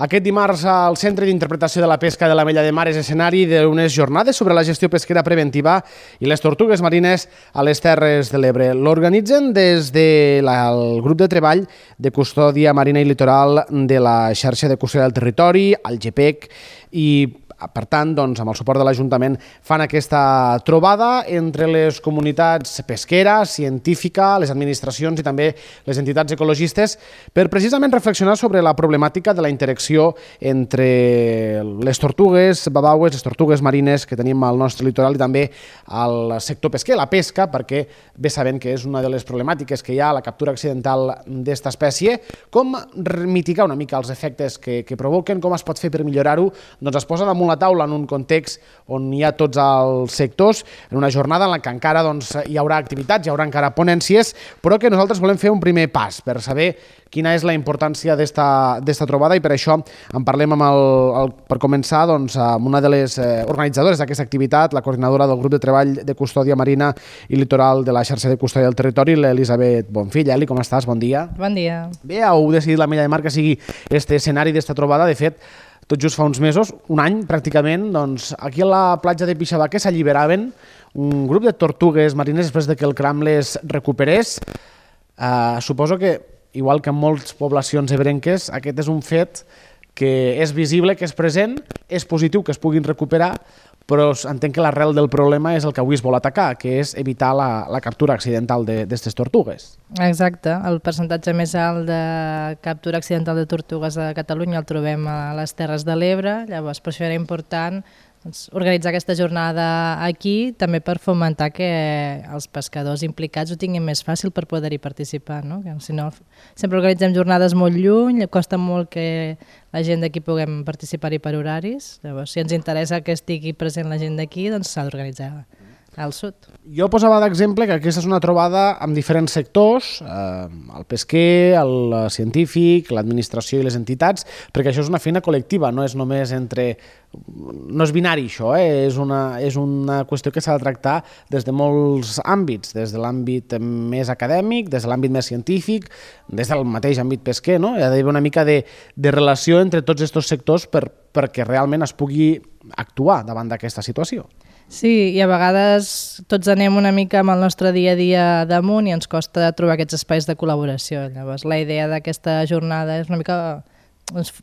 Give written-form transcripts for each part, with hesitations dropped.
Aquest dimarts el Centre d'Interpretació de la Pesca de l'Ametlla de Mar és escenari d'unes jornades sobre la gestió pesquera preventiva i les tortugues marines a les Terres de l'Ebre. L'organitzen des del grup de treball de custòdia marina i litoral de la xarxa de custòdia del territori, el GPEC, i per tant, amb el suport de l'Ajuntament, fan aquesta trobada entre les comunitats pesqueres, científica, les administracions i també les entitats ecologistes per precisament reflexionar sobre la problemàtica de la interacció entre les tortugues babaues, les tortugues marines que tenim al nostre litoral i també al sector pesquer, la pesca, perquè bé sabem que és una de les problemàtiques que hi ha, la captura accidental d'esta espècie. Com mitigar una mica els efectes que provoquen, com es pot fer per millorar-ho? Doncs es posa damunt la taula en un context on hi ha tots els sectors, en una jornada en la que encara hi haurà activitats, hi haurà encara ponències, però que nosaltres volem fer un primer pas per saber quina és la importància d'esta trobada i per això en parlem per començar amb una de les organitzadores d'aquesta activitat, la coordinadora del grup de treball de custòdia marina i litoral de la xarxa de custòdia del territori, l'Elisabet Bonfill. Eli, com estàs? Bon dia. Bon dia. Bé, heu decidit l'Ametlla de Mar que sigui este escenari d'esta trobada. De fet, tot just fa uns mesos, un any pràcticament, aquí a la platja de Pixabaque s'alliberaven un grup de tortugues marines després que el cram les recuperés. Suposo que, igual que en moltes poblacions ebrenques, aquest és un fet que és visible, que és present, és positiu que es puguin recuperar, però entenc que l'arrel del problema és el que avui es vol atacar, que és evitar la captura accidental d'aquestes tortugues. Exacte. El percentatge més alt de captura accidental de tortugues a Catalunya el trobem a les Terres de l'Ebre, llavors per això era important organitzar aquesta jornada aquí, també per fomentar que els pescadors implicats ho tinguin més fàcil per poder-hi participar, no? Si no, sempre organitzem jornades molt lluny, costa molt que la gent d'aquí puguem participar-hi per horaris, llavors si ens interessa que estigui present la gent d'aquí, doncs s'ha d'organitzar al sud. Jo posava d'exemple que aquesta és una trobada amb diferents sectors, el pesquer, el científic, l'administració i les entitats, perquè això és una feina col·lectiva, no és només no és binari això, és una qüestió que s'ha de tractar des de molts àmbits, des de l'àmbit més acadèmic, des de l'àmbit més científic, des del mateix àmbit pesquer, no? Hi ha d'haver una mica de relació entre tots aquests sectors perquè realment es pugui actuar davant d'aquesta situació. Sí, i a vegades tots anem una mica amb el nostre dia a dia damunt i ens costa trobar aquests espais de col·laboració. Llavors, la idea d'aquesta jornada és una mica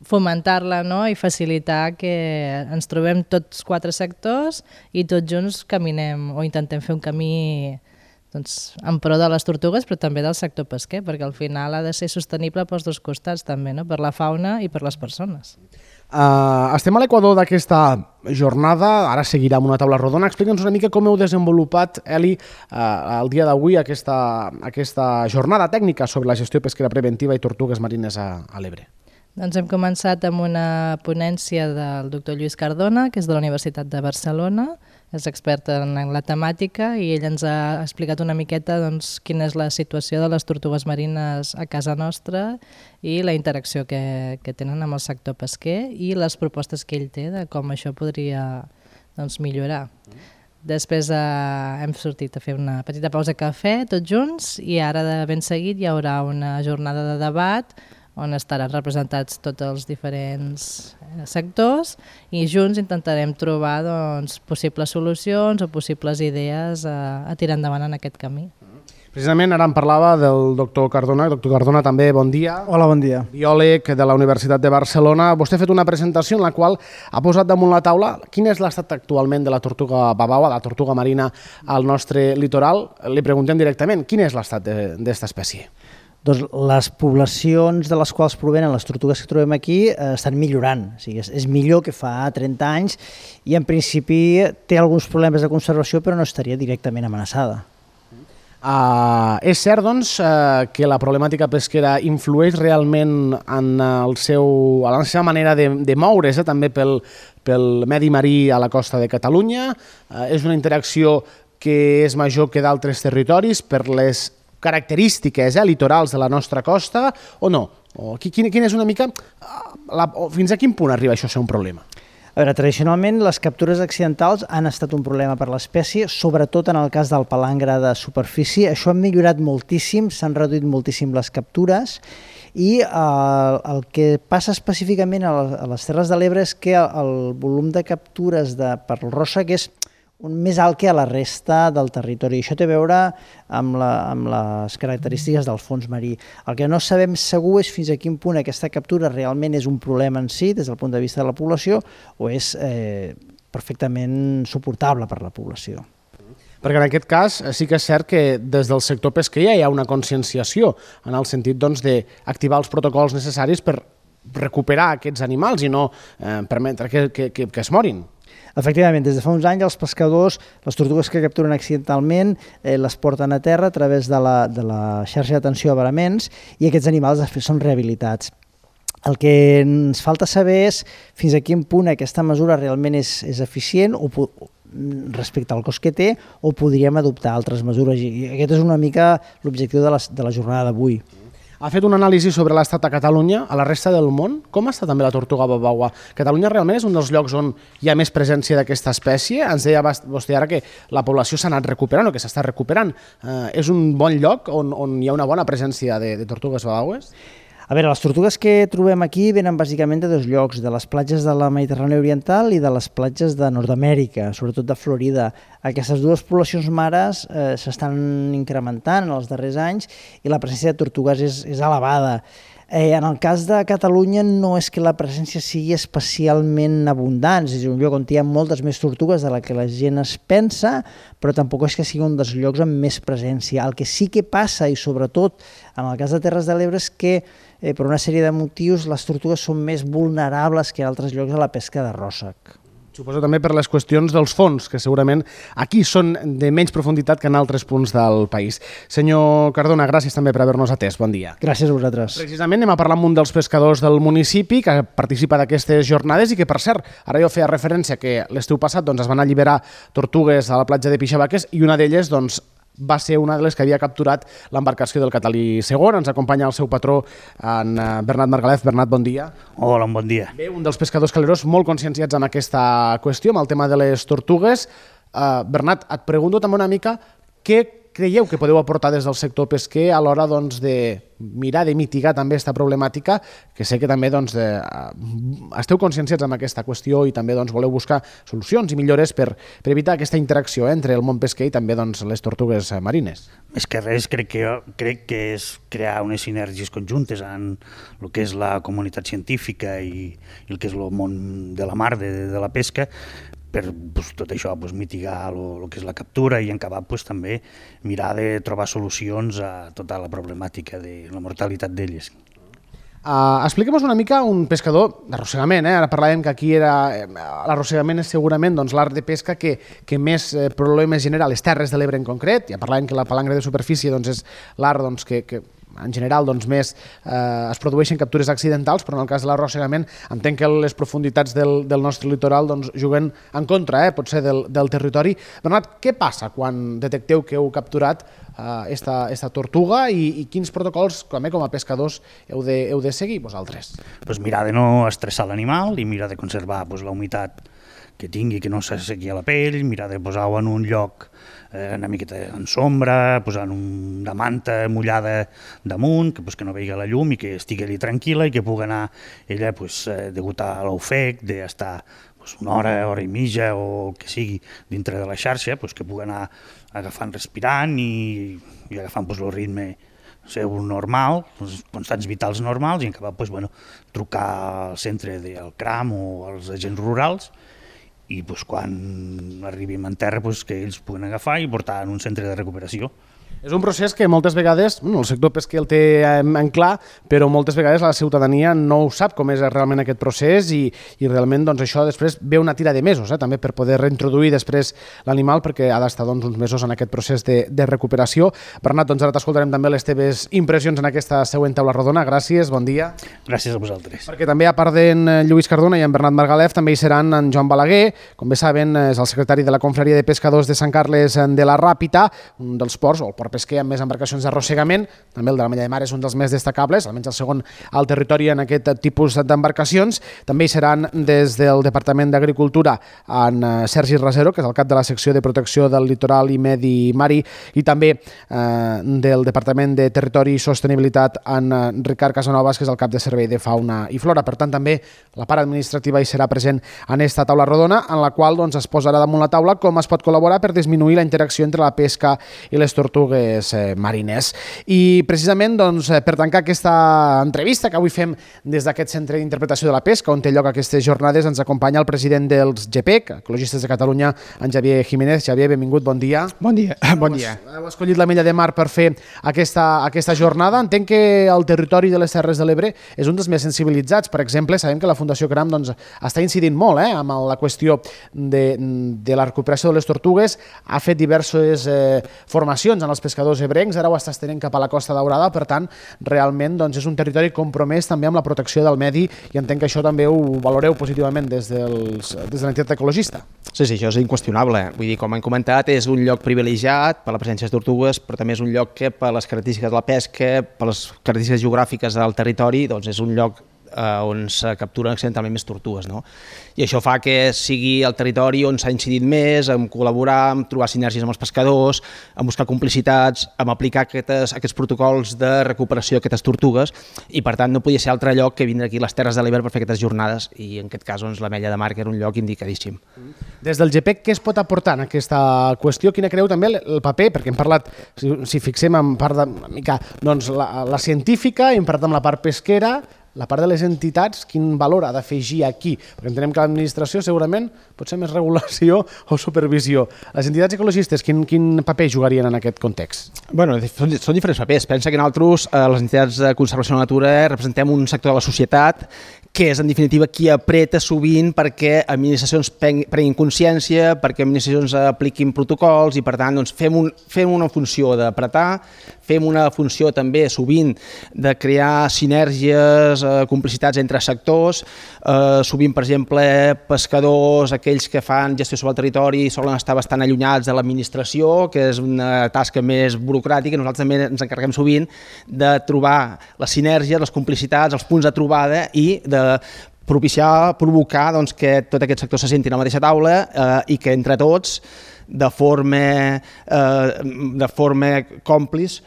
fomentar-la, no? I facilitar que ens trobem tots quatre sectors i tots junts caminem o intentem fer un camí en pro de les tortugues però també del sector pesquer, perquè al final ha de ser sostenible pels dos costats també, no? Per la fauna i per les persones. Estem a l'equador d'aquesta jornada, ara seguirà amb una taula rodona. Explica'ns una mica com heu desenvolupat, Eli, el dia d'avui aquesta jornada tècnica sobre la gestió pesquera preventiva i tortugues marines a l'Ebre. Doncs hem començat amb una ponència del doctor Lluís Cardona, que és de la Universitat de Barcelona, és expert en la temàtica i ell ens ha explicat una miqueta quina és la situació de les tortugues marines a casa nostra i la interacció que tenen amb el sector pesquer i les propostes que ell té de com això podria millorar. Després hem sortit a fer una petita pausa de cafè tots junts i ara de ben seguit hi haurà una jornada de debat on estaran representats tots els diferents sectors i junts intentarem trobar possibles solucions o possibles idees a tirar endavant en aquest camí. Precisament ara em parlava del doctor Cardona. Doctor Cardona, també bon dia. Hola, bon dia. Biòleg de la Universitat de Barcelona. Vostè ha fet una presentació en la qual ha posat damunt la taula quin és l'estat actualment de la tortuga babaua, la tortuga marina al nostre litoral. Li preguntem directament, quin és l'estat d'esta espècie? Doncs les poblacions de les quals provenen les tortugues que trobem aquí estan millorant, o sigui, és millor que fa 30 anys i en principi té alguns problemes de conservació però no estaria directament amenaçada. És cert, que la problemàtica pesquera influeix realment en la seva manera de moure's, també pel medi marí a la costa de Catalunya? És una interacció que és major que d'altres territoris per les característiques litorals de la nostra costa o no? Quina és una mica... Fins a quin punt arriba això a ser un problema? A veure, tradicionalment les captures accidentals han estat un problema per l'espècie, sobretot en el cas del palangre de superfície. Això ha millorat moltíssim, s'han reduït moltíssim les captures i el que passa específicament a les Terres de l'Ebre és que el volum de captures per ròssec és més alt que a la resta del territori. Això té a veure amb les característiques del fons marí. El que no sabem segur és fins a quin punt aquesta captura realment és un problema en si, des del punt de vista de la població, o és perfectament suportable per la població. Perquè en aquest cas sí que és cert que des del sector pesquer ja hi ha una conscienciació en el sentit d'activar els protocols necessaris per recuperar aquests animals i no permetre que es morin. Efectivament, des de fa uns anys els pescadors, les tortugues que capturen accidentalment, les porten a terra a través de la xarxa d'atenció a varaments i aquests animals després són rehabilitats. El que ens falta saber és fins a quin punt aquesta mesura realment és eficient respecte al cost que té o podríem adoptar altres mesures. I aquest és una mica l'objectiu de la jornada d'avui. Ha fet un anàlisi sobre l'estat a Catalunya, a la resta del món. Com està també la tortuga babaua? Catalunya realment és un dels llocs on hi ha més presència d'aquesta espècie. Ens deia vostè ara que la població s'ha anat recuperant o que s'està recuperant. És un bon lloc on hi ha una bona presència de tortugues babaues? A veure, les tortugues que trobem aquí venen bàsicament de dos llocs, de les platges de la Mediterrània Oriental i de les platges de Nord-amèrica, sobretot de Florida. Aquestes dues poblacions mares s'estan incrementant en els darrers anys i la presència de tortugues és elevada. En el cas de Catalunya no és que la presència sigui especialment abundant, és un lloc on hi ha moltes més tortugues de la que la gent es pensa, però tampoc és que sigui un dels llocs amb més presència. El que sí que passa, i sobretot en el cas de Terres de l'Ebre, és que per una sèrie de motius les tortugues són més vulnerables que en altres llocs a la pesca de ròssec. Suposo també per les qüestions dels fons, que segurament aquí són de menys profunditat que en altres punts del país. Senyor Cardona, gràcies també per haver-nos atès. Bon dia. Gràcies a vosaltres. Precisament anem a parlar amb un dels pescadors del municipi que participa d'aquestes jornades i que, per cert, ara jo feia referència que l'estiu passat es van alliberar tortugues a la platja de Pixabaques i una d'elles va ser una de les que havia capturat l'embarcació del Catalí II. Ens acompanya el seu patró, en Bernat Margalef. Bernat, bon dia. Hola, bon dia. Bé, un dels pescadors caleros molt conscienciats amb aquesta qüestió, amb el tema de les tortugues. Bernat, et pregunto també una mica què creieu que podeu aportar des del sector pesquer a l'hora de mirar de mitigar també aquesta problemàtica, que sé que també esteu conscienciats amb aquesta qüestió i també voleu buscar solucions i millores per evitar aquesta interacció entre el món pesquer i també les tortugues marines. Més que res, crec que és crear unes sinergies conjuntes en el que és la comunitat científica i el que és el món de la mar, de la pesca, per tot això mitigar el que és la captura i en acabar també mirar de trobar solucions a tota la problemàtica de la mortalitat d'elles. Expliquem-nos una mica un pescador d'arrossegament. Ara parlàvem que aquí l'arrossegament és segurament l'art de pesca que més problemes genera a les Terres de l'Ebre en concret. Ja parlàvem que la palangre de superfície és l'art que en general més es produeixen captures accidentals, però en el cas de l'arrossegament entenc que les profunditats del nostre litoral juguen en contra, potser del territori. Bernat, què passa quan detecteu que heu capturat esta tortuga i quins protocols, com a pescadors, heu de seguir vosaltres? Mirar de no estressar l'animal i mirar de conservar la humitat que tingui, que no s'assequi a la pell, mirar de posar-ho en un lloc una miqueta en sombra, posant una manta mullada damunt, que no vegi la llum i que estigui allà tranquil·la i que pugui anar ella degut a l'ofec d'estar una hora i mitja o que sigui dintre de la xarxa, que pugui anar agafant, respirant i agafant el ritme seu normal, els constants vitals normals, i acabar trucar al centre del CRAM o als agents rurals i quan arribim en terra que ells puguin agafar i portar en un centre de recuperació. És un procés que moltes vegades el sector pesquer el té en clar, però moltes vegades la ciutadania no ho sap com és realment aquest procés i realment això després ve una tira de mesos també per poder reintroduir després l'animal perquè ha d'estar uns mesos en aquest procés de recuperació. Bernat, ara t'escoltarem també les teves impressions en aquesta següent taula rodona. Gràcies, bon dia. Gràcies a vosaltres. Perquè també a part d'en Lluís Cardona i en Bernat Margalef també hi seran en Joan Balaguer, com bé saben és el secretari de la Confraria de Pescadors de Sant Carles de la Ràpita, un dels ports, o el port port pesquer amb més embarcacions d'arrossegament, també el de l'Ametlla de Mar és un dels més destacables, almenys el segon al territori en aquest tipus d'embarcacions. També hi seran des del Departament d'Agricultura en Sergi Rasero, que és el cap de la secció de protecció del litoral i medi mari, i també del Departament de Territori i Sostenibilitat en Ricard Casanovas, que és el cap de Servei de Fauna i Flora. Per tant, també la part administrativa hi serà present en esta taula rodona, en la qual es posarà damunt la taula com es pot col·laborar per disminuir la interacció entre la pesca i les tortugues marines. I precisament per tancar aquesta entrevista que avui fem des d'aquest Centre d'Interpretació de la Pesca, on té lloc aquestes jornades, ens acompanya el president dels GPEC, Ecologistes de Catalunya, en Xavier Jiménez. Xavier, benvingut, bon dia. Bon dia. Bon dia. Heu escollit l'Ametlla de Mar per fer aquesta jornada. Entenc que el territori de les Terres de l'Ebre és un dels més sensibilitzats. Per exemple, sabem que la Fundació CRAM està incidint molt amb la qüestió de la recuperació de les tortugues, ha fet diverses formacions en els pescadors ebrencs, ara ho està estenent cap a la Costa Daurada, per tant, realment és un territori compromès també amb la protecció del medi i entenc que això també ho valoreu positivament des de l'entitat ecologista. Sí, això és inqüestionable. Vull dir, com hem comentat, és un lloc privilegiat per la presència de tortugues, però també és un lloc que per les característiques de la pesca, per les característiques geogràfiques del territori, és un lloc on se capturen accidentalment més tortugues, no? I això fa que sigui el territori on s'ha incidit més, en col·laborar, en trobar sinergies amb els pescadors, en buscar complicitats, en aplicar aquests protocols de recuperació d'aquestes tortugues, i per tant no podia ser altre lloc que vindre aquí a les Terres de l'Ebre per fer aquestes jornades, i en aquest cas l'Ametlla de Mar, que era un lloc indicadíssim. Des del GPEC, què es pot aportar en aquesta qüestió? Quina creu també el paper? Perquè hem parlat, si fixem en part la científica, hem parlat amb la part pesquera, la part de les entitats, quin valor ha d'afegir aquí? Perquè entenem que l'administració segurament pot ser més regulació o supervisió. Les entitats ecologistes, quin paper jugarien en aquest context? Bueno, són diferents papers. Pensa que nosaltres, les entitats de conservació de la natura, representem un sector de la societat que és, en definitiva, qui apreta sovint perquè administracions prenguin consciència, perquè administracions apliquin protocols i, per tant, fem una funció d'apretar, fem una funció també, sovint, de crear sinergies, complicitats entre sectors. Sovint, per exemple, pescadors, aquells que fan gestió sobre el territori, solen estar bastant allunyats de l'administració, que és una tasca més burocràtica. Nosaltres també ens encarreguem sovint de trobar les sinergies, les complicitats, els punts de trobada i de provocar que tot aquest sector se senti a la mateixa taula i que entre tots, de forma còmplice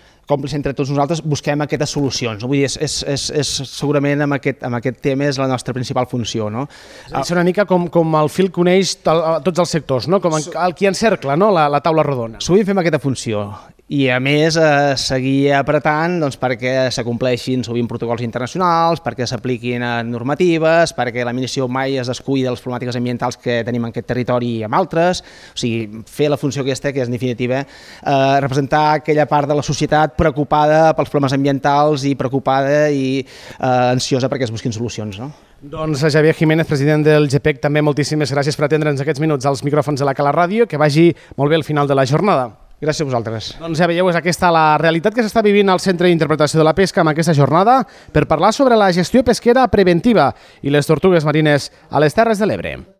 entre tots nosaltres, busquem aquestes solucions. Vull dir, segurament amb aquest tema és la nostra principal funció. És una mica com el fil que uneix tots els sectors, com el qui encercla la taula rodona. Sovint fem aquesta funció i, a més, seguir apretant perquè s'acompleixin sovint protocols internacionals, perquè s'apliquin normatives, perquè l'administració mai es descuida de les problemàtiques ambientals que tenim en aquest territori i amb altres. O sigui, fer la funció aquesta, que és, en definitiva, representar aquella part de la societat preocupada pels problemes ambientals i preocupada i ansiosa perquè es busquin solucions. Doncs Xavier Jiménez, president del GPEC, també moltíssimes gràcies per atendre'ns aquests minuts als micròfons de la Cala Ràdio. Que vagi molt bé el final de la jornada. Gràcies a vosaltres. Doncs ja veieu, és aquesta la realitat que s'està vivint al Centre d'Interpretació de la Pesca amb aquesta jornada per parlar sobre la gestió pesquera preventiva i les tortugues marines a les Terres de l'Ebre.